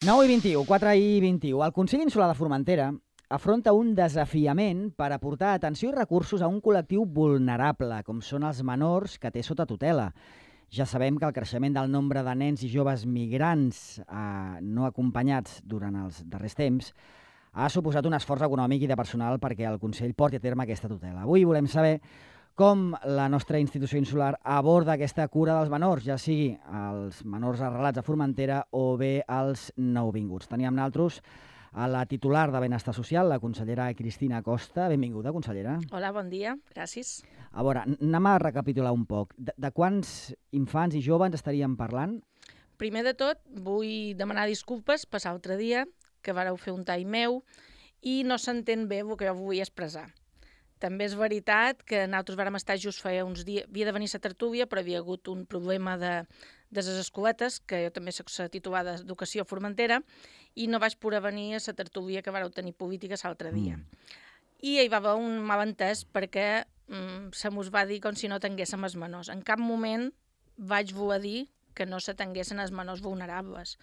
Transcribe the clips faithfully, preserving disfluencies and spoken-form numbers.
nou i vint-i-u, quatre i vint-i-u. El Consell Insular de Formentera afronta un desafiament per aportar atenció i recursos a un col·lectiu vulnerable, com són els menors que té sota tutela. Ja sabem que el creixement del nombre de nens i joves migrants eh, no acompanyats durant els darrers temps ha suposat un esforç econòmic i de personal perquè el Consell porti a terme aquesta tutela. Avui volem saber com la nostra institució insular aborda aquesta cura dels menors, ja sigui els menors arrelats a Formentera o bé els nouvinguts. Teníem nosaltres a la titular de Benestar Social, la consellera Cristina Costa. Benvinguda, consellera. Hola, bon dia, gràcies. A veure, anem a recapitular un poc. De, de quants infants i joves estaríem parlant? Primer de tot, vull demanar disculpes per l'altre dia, que vareu fer un tall meu, i no s'entén bé el que jo vull expressar. També és veritat que nosaltres vàrem estar just feia uns dies, havia de venir a la tertúlia, però havia hagut un problema de, de les escoletes, que jo també soc la titular d'Educació a Formentera, i no vaig poder venir a la tertúlia que vareu tenir política l'altre dia. Mm. I hi va haver un malentès perquè mm, se mos va dir com si no tinguéssim els menors. En cap moment vaig voler dir que no se tinguessin els menors vulnerables.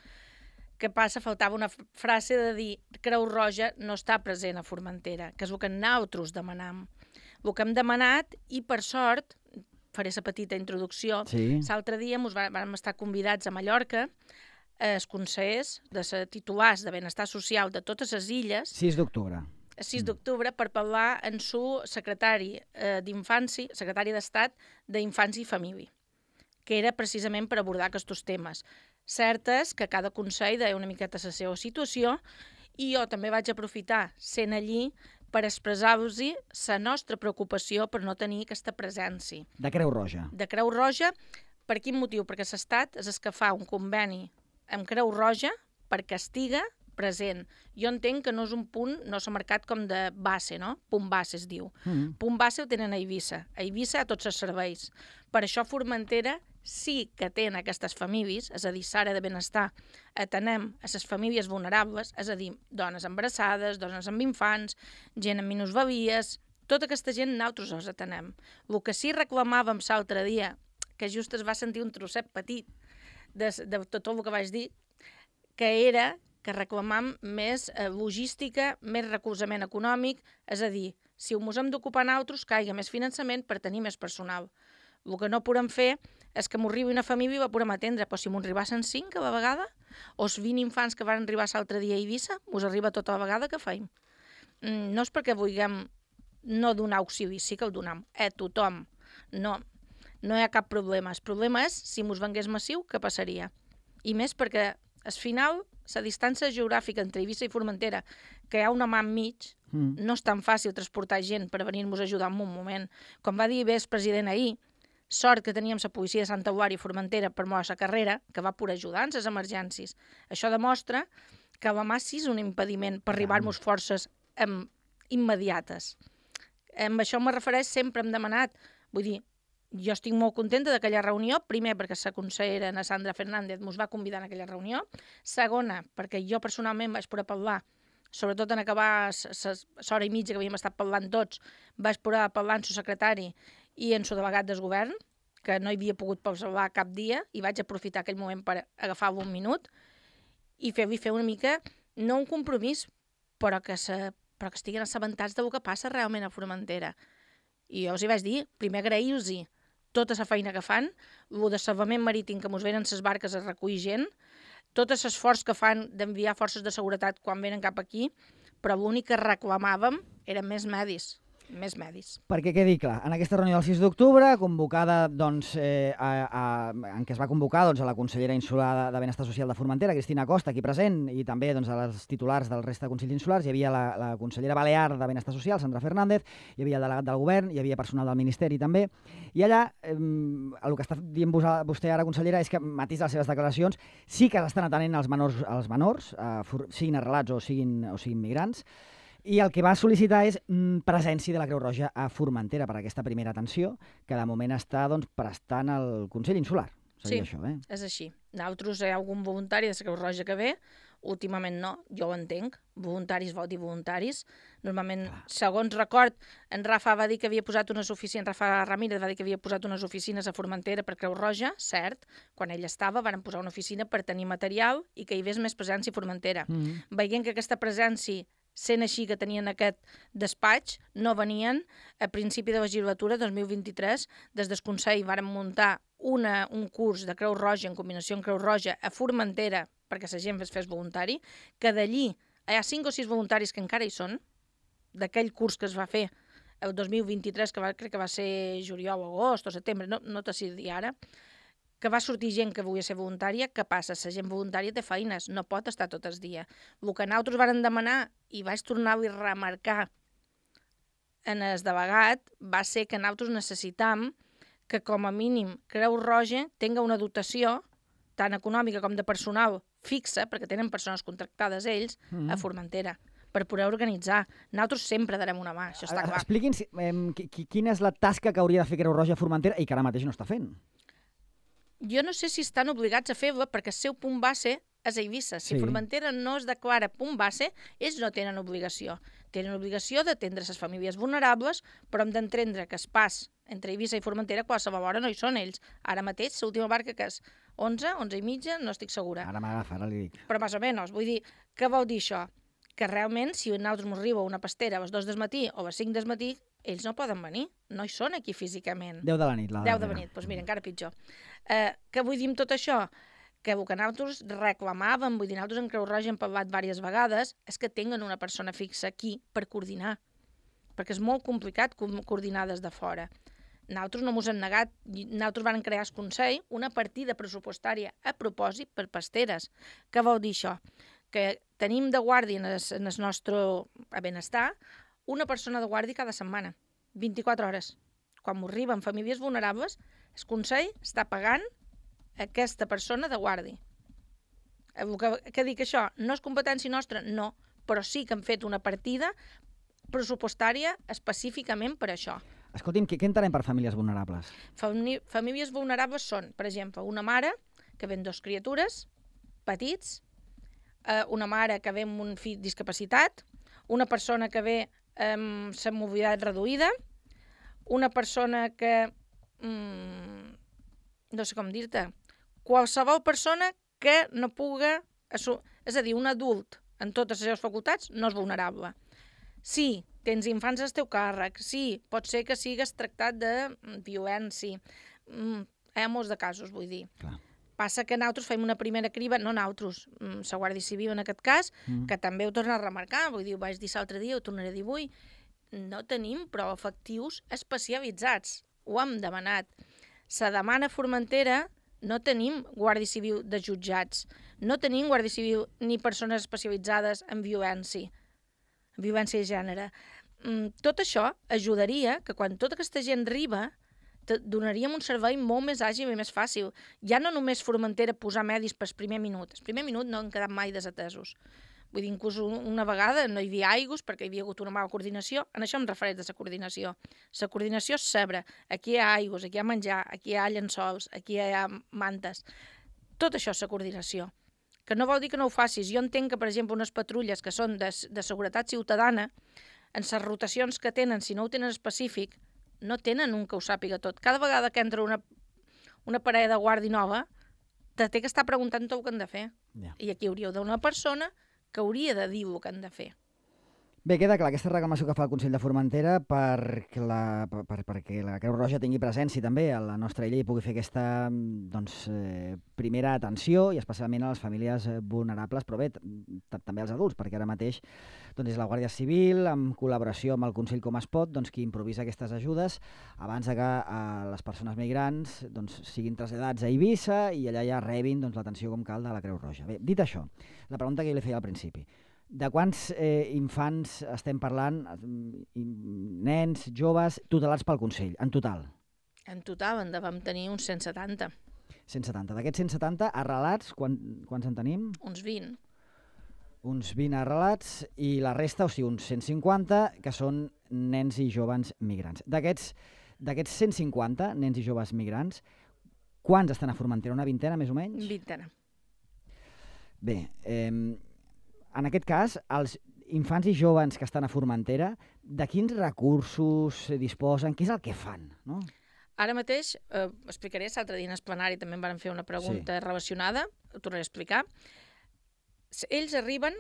Què passa? Faltava una frase de dir Creu Roja no està present a Formentera, que és el que nosaltres demanam. El que hem demanat, i per sort, faré la petita introducció, sí. L'altre dia ens vam estar convidats a Mallorca, els consellers de les titulars de Benestar Social de totes les illes, sis d'octubre. sis d'octubre, per parlar amb su secretari eh, d'Infància, secretari d'Estat d'Infància i Família, que era precisament per abordar aquests temes. Cert és que cada consell deia una miqueta la seva situació i jo també vaig aprofitar, sent allí, per expressar-vos la nostra preocupació per no tenir aquesta presència. De Creu Roja. De Creu Roja, per quin motiu? Perquè l'Estat és el que fa un conveni amb Creu Roja perquè estiga present. Jo entenc que no és un punt, no s'ha marcat com de base, no? Punt base es diu. Mm. Punt base ho tenen a Eivissa. A Eivissa a tots els serveis. Per això Formentera sí que tenen aquestes famílies, és a dir, l'àrea de benestar, atenem a les famílies vulnerables, és a dir, dones embarassades, dones amb infants, gent amb minusvavies, tota aquesta gent nosaltres els atenem. El que sí reclamàvem l'altre dia, que just es va sentir un trosset petit de, de tot el que vaig dir, que era que reclamam més eh, logística, més recolzament econòmic, és a dir, si ho mos hem d'ocupar nosaltres, caiga més finançament per tenir més personal. El que no podem fer és que m'arribi una família i la podem atendre, però si m'ho arribassen cinc a la vegada, o els vint infants que van arribar l'altre dia a Eivissa, mos arriba tota la vegada, què feim? Mm, no és perquè vulguem no donar auxili, sí que el donem, a tothom. No, no hi ha cap problema. El problema és, si mos vengués massiu, què passaria? I més perquè, al final, la distància geogràfica entre Eivissa i Formentera, que hi ha una mà enmig, mm. no és tan fàcil transportar gent per venir-nos a ajudar en un moment. Com va dir bé el president ahir, sort que teníem la policia de Santa Eulària i Formentera per moure la carrera, que va poder ajudar en les emergències. Això demostra que la mà sí és un impediment per arribar-nos forces em, immediates. Amb això me refereix, sempre hem demanat, vull dir, jo estic molt contenta d'aquella reunió, primer perquè la consellera Ana Sandra Fernández ens va convidar en aquella reunió, segona perquè jo personalment vaig poder parlar, sobretot en acabar l'hora i mitja que havíem estat parlant tots, vaig poder parlar amb el secretari i en el delegat del govern, que no hi havia pogut parlar cap dia, i vaig aprofitar aquell moment per agafar-lo un minut i fer-li fer una mica, no un compromís, però que, se, però que estiguin assabentats del que passa realment a Formentera. I jo els hi vaig dir, primer agrair-los tota la feina que fan, el de salvament marítim que mos venen les barques a recollir gent, tot l'esforç que fan d'enviar forces de seguretat quan venen cap aquí, però l'únic que reclamàvem eren més medis. més medis. Perquè quedi clar, en aquesta reunió del sis d'octubre, convocada, doncs, eh, a, a, en què es va convocar doncs, a la consellera insular de, de Benestar Social de Formentera, Cristina Costa, aquí present, i també doncs, a les titulars del resta de consells insulars, hi havia la, la consellera balear de Benestar Social, Sandra Fernández, hi havia el delegat del govern, hi havia personal del Ministeri també, i allà, eh, el que està dient vostè ara, consellera, és que, matís de les seves declaracions, sí que estan atenent els menors, els menors eh, for, siguin arrelats o siguin, o siguin migrants, i el que va sol·licitar és mm, presència de la Creu Roja a Formentera per aquesta primera atenció, que de moment està doncs, prestant el Consell Insular. Sí, això, eh? És així. Nosaltres hi ha algun voluntari de la Creu Roja que ve, últimament no, jo ho entenc, voluntaris vol dir voluntaris. Normalment, Clar. segons record, en Rafa va dir que havia posat unes oficines, en Rafa Ramírez va dir que havia posat unes oficines a Formentera per Creu Roja, cert, quan ell estava van posar una oficina per tenir material i que hi hagués més presència a Formentera. Mm -hmm. Veient que aquesta presència, sent així que tenien aquest despatx, no venien, a principi de la legislatura dos mil vint-i-tres, des del Consell varen muntar una, un curs de Creu Roja en combinació amb Creu Roja a Formentera perquè la gent es fes voluntari, que d'allí hi ha cinc o sis voluntaris que encara hi són, d'aquell curs que es va fer el dos mil vint-i-tres, que va, crec que va ser juliol, agost o setembre, no, no t'ho sé dir ara, que va sortir gent que volia ser voluntària. Què passa? La gent voluntària té feines, no pot estar tot el dia. El que nosaltres varen demanar, i vaig tornar-ho a remarcar en el delegat, va ser que nosaltres necessitam que com a mínim Creu Roja tinga una dotació tant econòmica com de personal fixa, perquè tenen persones contractades ells, mm. a Formentera, per poder organitzar. Nosaltres sempre darem una mà, això està clar. Expliqui'ns eh, quina és la tasca que hauria de fer Creu Roja a Formentera i que ara mateix no està fent. Jo no sé si estan obligats a fer-la perquè el seu punt base és a Eivissa. Si sí. Formentera no es declara punt base, ells no tenen obligació. Tenen obligació d'atendre les famílies vulnerables, però hem d'entendre que es pas entre Eivissa i Formentera qualsevol hora no hi són ells. Ara mateix, l'última barca que és onze, onze i mitja, no estic segura. Ara m'agafa, ara li dic. Però més o menys, vull dir, què vol dir això? Que realment, si a nosaltres ens arriba una pastera a les dos del matí o a les cinc del matí, ells no poden venir, no hi són aquí físicament. deu de la nit. La deu de la nit, doncs mira, encara pitjor. Eh, què vull dir amb tot això? Que el que nosaltres reclamàvem, vull dir, nosaltres en Creu Roja hem parlat diverses vegades, és que tinguen una persona fixa aquí per coordinar, perquè és molt complicat coordinar des de fora. Nosaltres no ens hem negat, nosaltres vam crear el Consell una partida pressupostària a propòsit per pasteres. Què vol dir això? Que tenim de guàrdia en el, en el nostre benestar una persona de guàrdia cada setmana, vint-i-quatre hores. Quan m'arriben famílies vulnerables, el Consell està pagant aquesta persona de guàrdia. Que, que dic això, no és competència nostra? No, però sí que hem fet una partida pressupostària específicament per això. Escolti'm, què, què entenem per famílies vulnerables? Famí famílies vulnerables són, per exemple, una mare que ve amb dos criatures petits, eh, una mare que ve amb un fill discapacitat, una persona que ve amb la mobilitat reduïda, una persona que... Mm, no sé com dir-te, qualsevol persona que no puga... És a dir, un adult en totes les seves facultats no és vulnerable. Sí, tens infants al teu càrrec, sí, pot ser que sigues tractat de violència. Mm, hi ha molts de casos, vull dir. Clar. Passa que nosaltres fem una primera criba, no nosaltres, la Guàrdia Civil en aquest cas, mm. que també ho torna a remarcar, vull dir, ho vaig dir l'altre dia, ho tornaré a dir avui, no tenim prou efectius especialitzats, ho hem demanat. Se demana a Formentera, no tenim Guàrdia Civil de jutjats, no tenim Guàrdia Civil ni persones especialitzades en violència, en violència de gènere. Mm, tot això ajudaria que quan tota aquesta gent arriba donaríem un servei molt més àgil i més fàcil. Ja no només Formentera posar medis pel primer minut. El primer minut no han quedat mai desatesos. Vull dir, inclús una vegada no hi havia aigües perquè hi havia hagut una mala coordinació. En això em refereix de la coordinació. La coordinació és saber. Aquí hi ha aigües, aquí hi ha menjar, aquí hi ha llençols, aquí hi ha mantes. Tot això és la coordinació. Que no vol dir que no ho facis. Jo entenc que, per exemple, unes patrulles que són de, de seguretat ciutadana, en les rotacions que tenen, si no ho tenen específic, no tenen un que ho sàpiga tot. Cada vegada que entra una, una parella de guàrdia nova, te té que estar preguntant tot el que han de fer. Yeah. I aquí hauríeu d'una persona que hauria de dir el que han de fer. Bé, queda clar, aquesta reclamació que fa el Consell de Formentera perquè la, per, perquè la Creu Roja tingui presència també a la nostra illa i pugui fer aquesta doncs, eh, primera atenció i especialment a les famílies vulnerables, però bé, també als adults, perquè ara mateix doncs, és la Guàrdia Civil, en col·laboració amb el Consell Com es pot, doncs, qui improvisa aquestes ajudes abans de que eh, les persones migrants doncs, siguin traslladats a Eivissa i allà ja rebin doncs, l'atenció com cal de la Creu Roja. Bé, dit això, la pregunta que jo li feia al principi, de quants eh, infants estem parlant, nens, joves, tutelats pel Consell, en total? En total en vam tenir uns cent setanta. cent setanta. D'aquests cent setanta arrelats, quan, quants en tenim? Uns vint. Uns vint arrelats i la resta, o sigui, uns cent cinquanta, que són nens i joves migrants. D'aquests d'aquests cent cinquanta nens i joves migrants, quants estan a Formentera? Una vintena, més o menys? Vintena. Bé, eh, en aquest cas, els infants i joves que estan a Formentera, de quins recursos disposen? Què és el que fan? No? Ara mateix, eh, explicaré, l'altre dia en el plenari també em van fer una pregunta sí. relacionada, ho tornaré a explicar. Ells arriben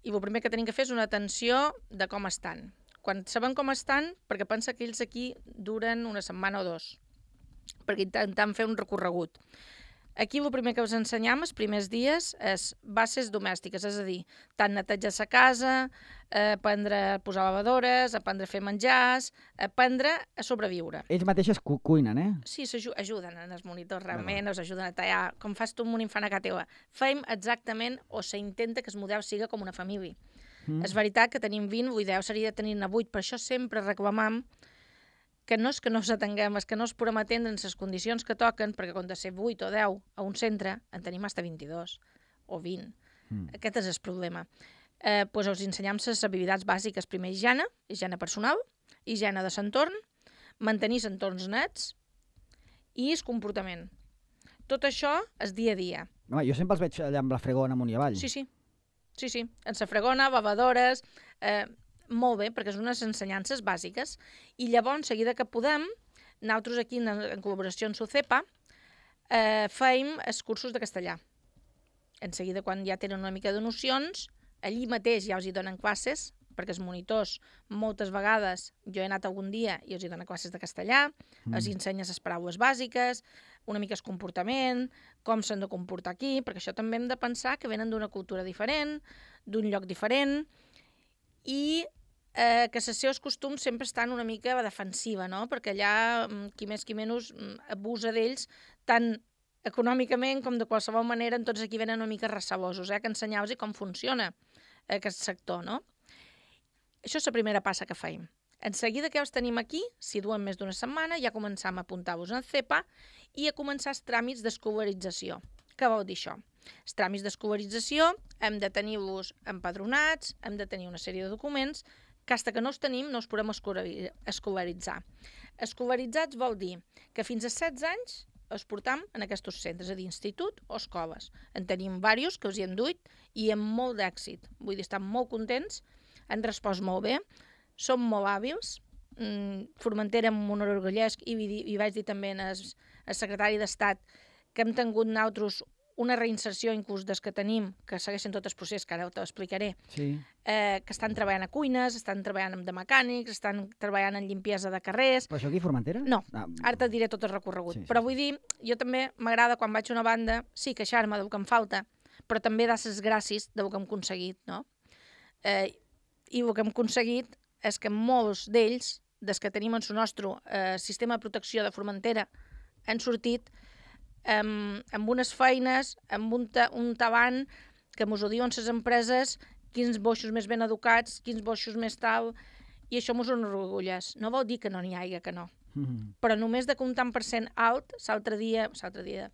i el primer que tenim que fer és una atenció de com estan. Quan sabem com estan, perquè pensa que ells aquí duren una setmana o dos, perquè intentam fer un recorregut. Aquí el primer que us ensenyam els primers dies és bases domèstiques, és a dir, tant netejar la casa, eh, aprendre a posar lavadores, aprendre a fer menjars, aprendre a sobreviure. Ells mateixes cu cuinen, eh? Sí, ajuden en els monitors, realment, us ajuden a tallar, com fas tu amb un infant a casa teva. Fem exactament, o s'intenta que el model siga com una família. Mm. És veritat que tenim vint, l'ideal seria tenir-ne vuit, per això sempre reclamam que no és que no s'atenguem, és que no es podem atendre en les condicions que toquen, perquè quan de ser vuit o deu a un centre en tenim fins a vint-i-dos o vint. Mm. Aquest és el problema. Eh, doncs us ensenyam les habilitats bàsiques. Primer, higiene, higiene personal, higiene de l'entorn, mantenir entorns nets i el comportament. Tot això és dia a dia. Home, jo sempre els veig allà amb la fregona amunt i avall. Sí, sí. Sí, sí. En la fregona, lavadores... Eh, molt bé, perquè són unes ensenyances bàsiques. I llavors, seguida que podem, nosaltres aquí, en, en col·laboració amb SUCEPA, eh, feim els cursos de castellà. En seguida, quan ja tenen una mica de nocions, allí mateix ja els hi donen classes, perquè els monitors, moltes vegades, jo he anat algun dia i els hi donen classes de castellà, mm. els ensenyes les paraules bàsiques, una mica el comportament, com s'han de comportar aquí, perquè això també hem de pensar que venen d'una cultura diferent, d'un lloc diferent, i eh, que els seus costums sempre estan una mica a defensiva, no? Perquè allà, qui més qui menys, abusa d'ells tant econòmicament com de qualsevol manera, en tots aquí venen una mica recelosos, eh? Que ensenyar-los com funciona aquest sector, no? Això és la primera passa que feim. En seguida que els tenim aquí, si duen més d'una setmana, ja començam a apuntar-vos en CEPA i a començar els tràmits d'escolarització. Què vol dir això? Els tràmits d'escolarització hem de tenir-los empadronats, hem de tenir una sèrie de documents, que fins que no els tenim no els podem escolaritzar. Escolaritzats vol dir que fins a setze anys els portam en aquests centres, és a dir, institut o escoles. En tenim diversos que els hi hem duit i amb molt d'èxit. Vull dir, estan molt contents, han respost molt bé, són molt hàbils. Formentera amb un orgullesc i, i vaig dir també al secretari d'Estat que hem tingut nosaltres una reinserció inclús des que tenim, que segueixen tot el procés, que ara t'ho explicaré, sí. eh, que estan treballant a cuines, estan treballant de mecànics, estan treballant en limpiesa de carrers... Però això aquí a Formentera? No, ah. ara te diré tot el recorregut. Sí, sí. Però vull dir, jo també m'agrada quan vaig a una banda, sí, queixar-me del que em falta, però també dar les gràcies del que hem aconseguit, no? Eh, I el que hem aconseguit és que molts d'ells, des que tenim en el nostre eh, sistema de protecció de Formentera, han sortit amb, amb unes feines, amb un, ta, un tabant que mos ho diuen les empreses, quins boixos més ben educats, quins boixos més tal, i això mos enorgulleix. No vol dir que no n'hi hagi, que no. Mm-hmm. Però només de que un tant per cent alt, l'altre dia, l'altre dia,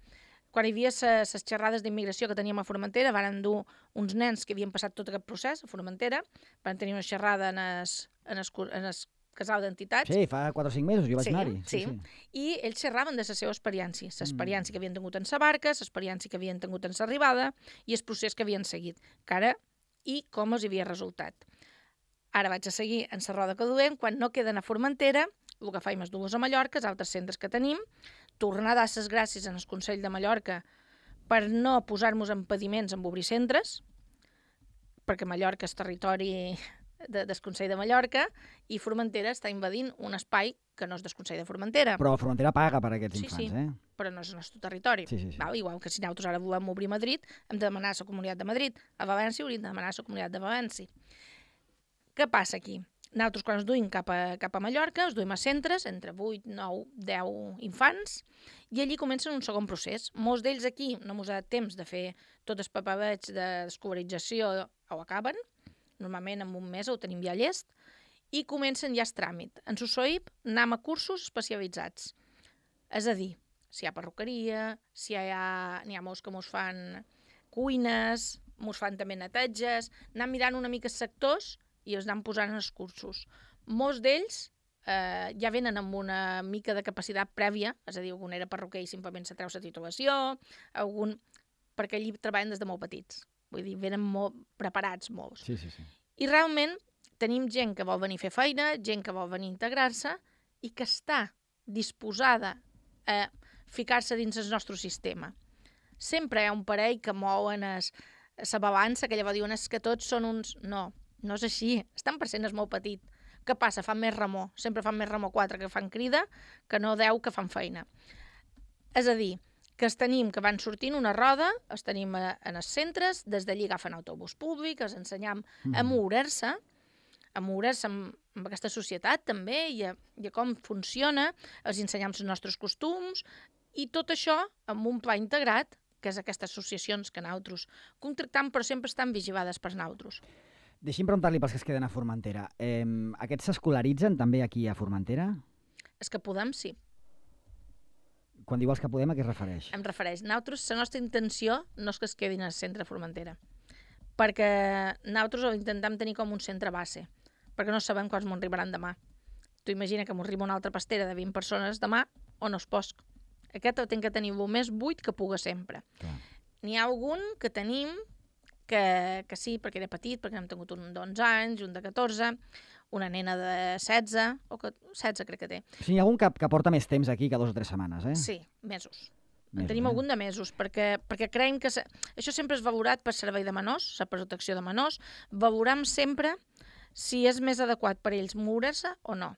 quan hi havia les xerrades d'immigració que teníem a Formentera, van dur uns nens que havien passat tot aquest procés a Formentera, van tenir una xerrada en el, en el, en el casal d'entitats. Sí, fa quatre o cinc mesos jo vaig sí, anar-hi. Sí, sí, i ells xerraven de la seva experiència, l'experiència mm. que havien tingut en la barca, l'experiència que havien tingut en l'arribada i el procés que havien seguit, que ara, i com els havia resultat. Ara vaig a seguir en la roda que duem, quan no queden a Formentera, el que faim és dur-los a Mallorca, els altres centres que tenim, tornar a dar les gràcies en el Consell de Mallorca per no posar-nos impediments en obrir centres, perquè Mallorca és territori de, del Consell de Mallorca, i Formentera està invadint un espai que no és del Consell de Formentera. Però Formentera paga per aquests sí, infants, sí, eh? Però no és el nostre territori. Sí, sí, sí. Val? Igual que si nosaltres ara volem obrir Madrid, hem de demanar a la Comunitat de Madrid. A València hauríem de demanar a la Comunitat de València. Què passa aquí? Nosaltres, quan ens duim cap a, cap a Mallorca, ens duim a centres, entre vuit, nou, deu infants, i allí comencen un segon procés. Molts d'ells aquí no ens ha dat temps de fer tot el papereig d'escolarització, ho acaben, normalment en un mes ho tenim ja llest, i comencen ja el tràmit. En S U S O I P anem a cursos especialitzats. És a dir, si hi ha perruqueria, si hi ha, n'hi ha molts que mos fan cuines, mos fan també netatges, anem mirant una mica els sectors i els anem posant en els cursos. Molts d'ells eh, ja venen amb una mica de capacitat prèvia, és a dir, algun era perruquer i simplement se treu la titulació, algun... perquè allí treballen des de molt petits. vull dir, venen molt preparats molts. Sí, sí, sí. I realment tenim gent que vol venir a fer feina, gent que vol venir a integrar-se i que està disposada a ficar-se dins el nostre sistema. Sempre hi ha un parell que mouen la balança, que llavors diuen que tots són uns... No, no és així. El tant per cent és molt petit. Què passa? Fan més remor. Sempre fan més remor quatre que fan crida que no deu que fan feina. És a dir, que els tenim que van sortint una roda, els tenim a, en els centres, des d'allí agafen autobús públic, els ensenyam mm. a moure-se, a moure-se amb, amb aquesta societat també i a, i a com funciona, els ensenyam els nostres costums i tot això amb un pla integrat, que és aquestes associacions que nosaltres contractam, però sempre estan vigilades per nosaltres. Deixi'm preguntar-li pels que es queden a Formentera. Eh, aquests s'escolaritzen també aquí a Formentera? És que podem, sí. Quan diu els que podem, a què es refereix? Em refereix. Nosaltres, la nostra intenció no és que es quedin al centre de Formentera, perquè nosaltres ho intentem tenir com un centre base, perquè no sabem quants m'ho arribaran demà. Tu imagina que m'ho arriba una altra pastera de vint persones demà o no es posc. Aquest ho tinc que tenir el més buit que puga sempre. N'hi ha algun que tenim que, que sí, perquè era petit, perquè hem tingut un d'onze anys, un de catorze, una nena de setze, o que, setze crec que té. O sigui, hi ha algun que, que porta més temps aquí que dos o tres setmanes, eh? Sí, mesos. Mesos, en tenim eh? algun de mesos, perquè, perquè creiem que... Se... Això sempre és valorat per servei de menors, la protecció de menors. Valorem sempre si és més adequat per ells moure-se o no.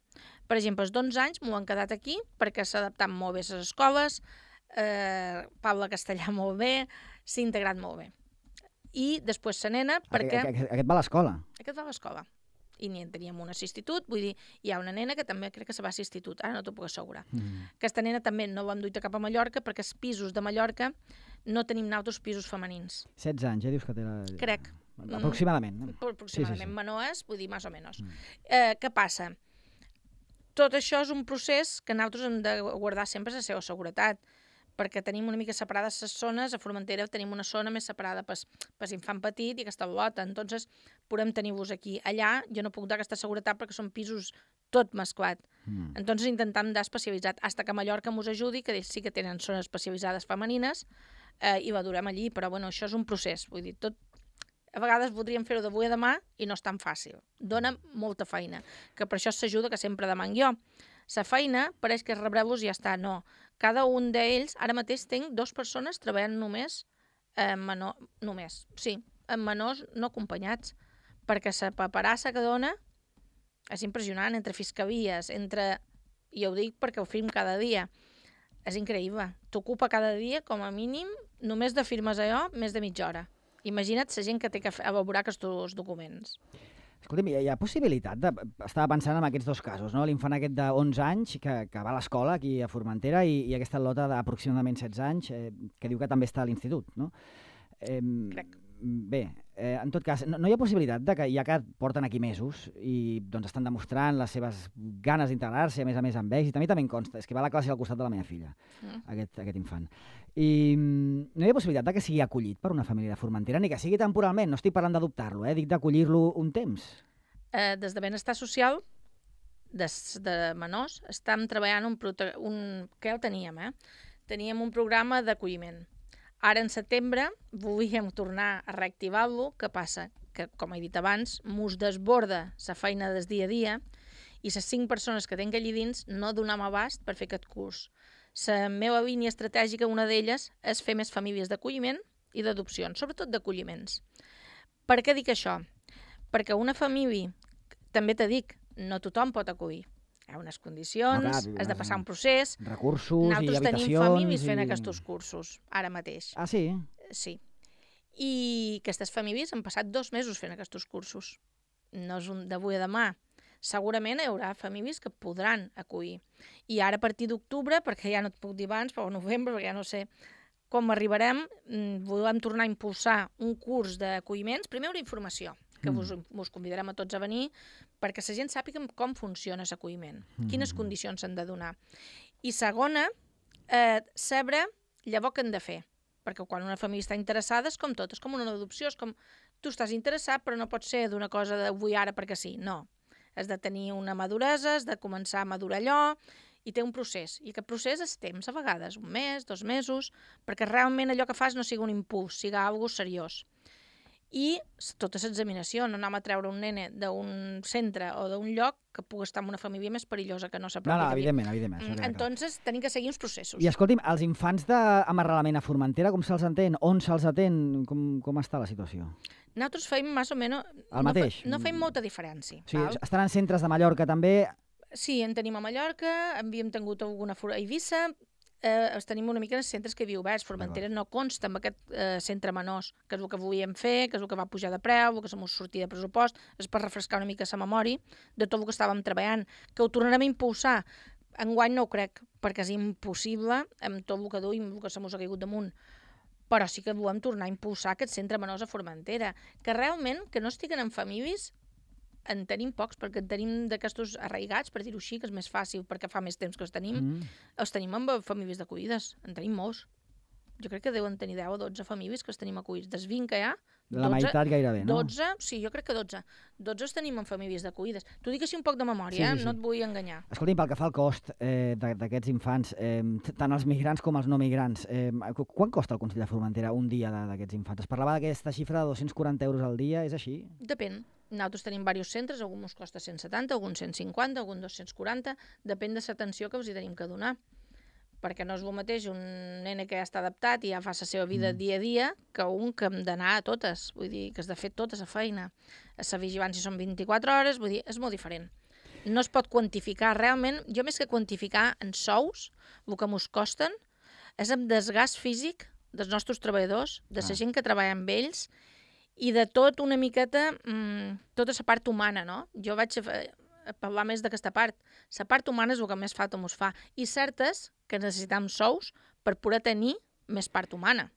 Per exemple, els d'onze anys m'ho han quedat aquí perquè s'ha adaptat molt bé a les escoles, eh, parla castellà molt bé, s'ha integrat molt bé. I després la nena, perquè... Aquest, aquest va a l'escola? Aquest va a l'escola. I n'hi teníem un institut, vull dir, hi ha una nena que també crec que se va a l'institut, ara no t'ho puc assegurar. Mm. Aquesta nena també no vam duir cap a Mallorca perquè els pisos de Mallorca no tenim nosaltres pisos femenins. setze anys, eh? Dius que té la... Crec. Aproximadament. Mm, aproximadament, sí, sí, sí. Menors, vull dir, més o menys. Mm. Eh, què passa? Tot això és un procés que nosaltres hem de guardar sempre la seva seguretat, perquè tenim una mica separades les zones, a Formentera tenim una zona més separada per l'infant petit i aquesta bolota, entonces podem tenir-vos aquí. Allà jo no puc dar aquesta seguretat perquè són pisos tot mesclat. Mm. Entonces intentam dar especialitzat, fins que Mallorca mos ajudi, que ells sí que tenen zones especialitzades femenines, eh, i valorem allí, però bueno, això és un procés, vull dir, tot a vegades voldríem fer-ho d'avui a demà i no és tan fàcil. Dóna molta feina, que per això s'ajuda que sempre demanc jo. La feina pareix que rebreu-vos i ja està, no. Cada un d'ells, ara mateix tinc dues persones treballant només, eh, menor, només, sí, amb menors no acompanyats, perquè la paperassa que dona és impressionant, entre fiscalies, entre... I ho dic perquè ho fem cada dia. És increïble. T'ocupa cada dia, com a mínim, només de firmes allò, més de mitja hora. Imagina't la gent que té que elaborar aquests documents. Escolta'm, hi ha possibilitat de... Estava pensant en aquests dos casos, no? L'infant aquest d'onze anys que, que va a l'escola aquí a Formentera i, i aquesta lota d'aproximadament setze anys eh, que diu que també està a l'institut, no? Eh, Crec. Bé, eh, en tot cas, no, no hi ha possibilitat de que ja que porten aquí mesos i doncs estan demostrant les seves ganes d'integrar-se, a més a més amb èxit, a mi també em consta, és que va a la classe al costat de la meva filla, mm. aquest, aquest infant. I no hi ha possibilitat de que sigui acollit per una família de Formentera, ni que sigui temporalment, no estic parlant d'adoptar-lo, eh? Dic d'acollir-lo un temps. Eh, des de Benestar Social, des de menors, estem treballant un, un... que ja ho teníem, eh? Teníem un programa d'acolliment. Ara, en setembre, volíem tornar a reactivar-lo. Què passa? Que, com he dit abans, mos desborda la feina del dia a dia i les cinc persones que tinc allí dins no donam abast per fer aquest curs. La meva línia estratègica, una d'elles, és fer més famílies d'acolliment i d'adopcions, sobretot d'acolliments. Per què dic això? Perquè una família, també te dic, no tothom pot acollir. Hi ha unes condicions, no, clar, has de passar un procés. Recursos i habitacions. Nosaltres tenim famílies fent i... aquests cursos, ara mateix. Ah, sí? Sí. I aquestes famílies han passat dos mesos fent aquests cursos. No és un d'avui a demà. Segurament hi haurà famílies que podran acollir. I ara a partir d'octubre, perquè ja no et puc dir abans, però a novembre, perquè ja no sé com arribarem, volem tornar a impulsar un curs d'acolliments. Primer una informació, que mm. vos, vos convidarem a tots a venir, perquè la gent sàpiga com funciona l'acolliment, mm. quines condicions s'han de donar. I segona, eh, saber llavors què han de fer, perquè quan una família està interessada és com tot, és com una adopció, és com tu estàs interessat però no pot ser d'una cosa d'avui ara perquè sí, no. Has de tenir una maduresa, has de començar a madurar allò, i té un procés. I aquest procés és temps, a vegades, un mes, dos mesos, perquè realment allò que fas no sigui un impuls, sigui alguna cosa seriós. i tota l'examinació, no anem a treure un nene d'un centre o d'un lloc que pugui estar en una família més perillosa que no s'apropi. No, no, evidentment, evidentment. Mm, entonces, tenim que seguir uns processos. I escolti'm, els infants amb arrelament a Formentera, com se'ls entén? On se'ls atén? Com, com està la situació? Nosaltres feim més o menys... El mateix? No, no feim molta diferència. O sigui, val? estan en centres de Mallorca també? Sí, en tenim a Mallorca, havíem tingut alguna a Eivissa, eh, els tenim una mica en els centres que hi havia oberts. Formentera no consta amb aquest eh, centre menors, que és el que volíem fer, que és el que va pujar de preu, el que se mos sortia de pressupost, és per refrescar una mica la memòria de tot el que estàvem treballant, que ho tornarem a impulsar. Enguany no ho crec, perquè és impossible amb tot el que duim, el que se mos ha caigut damunt. Però sí que volem tornar a impulsar aquest centre menors a Formentera, que realment, que no estiguen en famílies, en tenim pocs, perquè en tenim d'aquestos arraigats, per dir-ho així, que és més fàcil, perquè fa més temps que els tenim, mm. els tenim amb famílies d'acollides, en tenim molts. Jo crec que deuen tenir deu o dotze famílies que els tenim acollits. Des vint que hi ha, la dotze, meitat gairebé, no? dotze, sí, jo crec que dotze. dotze els tenim en famílies d'acollides. T'ho dic així un poc de memòria, sí, sí, sí. No et vull enganyar. Escolti'm, pel que fa al cost eh, d'aquests infants, eh, tant els migrants com els no migrants, eh, quan costa el Consell de Formentera un dia d'aquests infants? Es parlava d'aquesta xifra de dos-cents quaranta euros al dia, és així? Depèn. Nosaltres tenim diversos centres, algun ens costa cent setanta, algun cent cinquanta, algun dos-cents quaranta, depèn de l'atenció que us hi tenim que donar. Perquè no és el mateix un nene que ja està adaptat i ja fa la seva vida mm. dia a dia que un que hem d'anar a totes, vull dir, que has de fer tota la feina. La vigilància són vint-i-quatre hores, vull dir, és molt diferent. No es pot quantificar, realment, jo més que quantificar en sous, el que mos costen, és amb desgast físic dels nostres treballadors, de la ah. gent que treballa amb ells, i de tot una miqueta, mmm, tota la part humana, no? Jo vaig a, a parlar més d'aquesta part. La part humana és el que més falta mos fa. I certes que necessitam sous per poder tenir més part humana.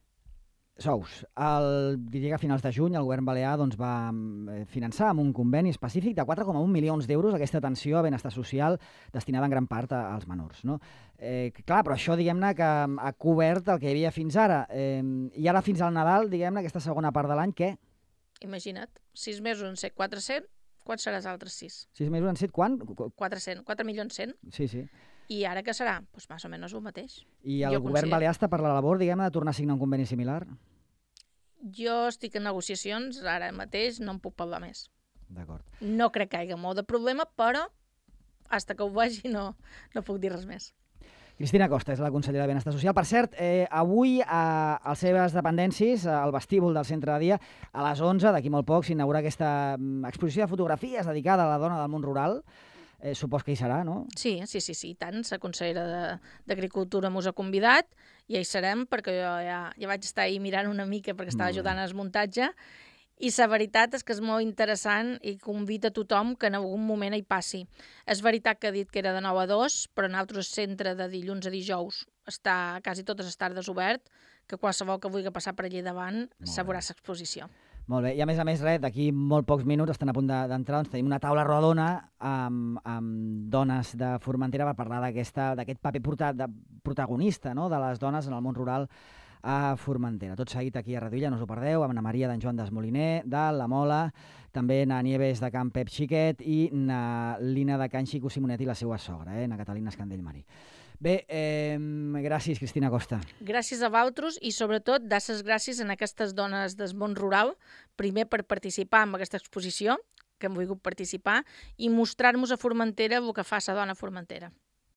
Sous. El, diria que a finals de juny el govern balear doncs, va finançar amb un conveni específic de quatre coma un milions d'euros aquesta atenció a benestar social destinada en gran part als menors. No? Eh, clar, però això diguem-ne que ha cobert el que hi havia fins ara. Eh, I ara fins al Nadal, diguem-ne, aquesta segona part de l'any, què? Imagina't, sis mesos en set quatre-cents, quants serà els altres sis? Sis mesos en set, quan? quatre-cents, quatre milions cent. Sí, sí. I ara què serà? Doncs pues més o menys el mateix. I el jo govern considero... balear està per la labor, diguem-ne, de tornar a signar un conveni similar? Jo estic en negociacions, ara mateix no en puc parlar més. D'acord. No crec que hi hagi molt de problema, però fins que ho vegi no, no puc dir res més. Cristina Costa és la consellera de Benestar Social. Per cert, eh, avui a, a les seves dependències, al vestíbul del centre de dia, a les onze, d'aquí molt poc, s'inaugura aquesta exposició de fotografies dedicada a la dona del món rural. Eh, supos que hi serà, no? Sí, sí, sí, sí, tant. La consellera d'Agricultura mos ha convidat i hi serem, perquè jo ja, ja vaig estar ahí mirant una mica perquè estava ajudant al muntatge. I la veritat és que és molt interessant i convida a tothom que en algun moment hi passi. És veritat que ha dit que era de nou a dos, però en altres centre de dilluns a dijous està quasi totes les tardes obert, que qualsevol que vulgui passar per allà davant sabrà l'exposició. Molt bé, i a més a més, res, d'aquí molt pocs minuts, estan a punt d'entrar, doncs tenim una taula rodona amb, amb dones de Formentera per parlar d'aquest paper portat, de, protagonista, no?, de les dones en el món rural a Formentera. Tot seguit aquí a Reduïlla, no us ho perdeu, amb na Maria d'en Joan Desmoliner, de La Mola, també na Nieves de Can Pep Xiquet i na Lina de Can Xico Simonet i la seva sogra, eh, na Catalina Escandell Marí. Bé, eh, gràcies, Cristina Costa. Gràcies a vosaltres i, sobretot, dasses gràcies a aquestes dones del món rural, primer per participar en aquesta exposició, que hem volgut participar, i mostrar-nos a Formentera el que fa la dona a Formentera.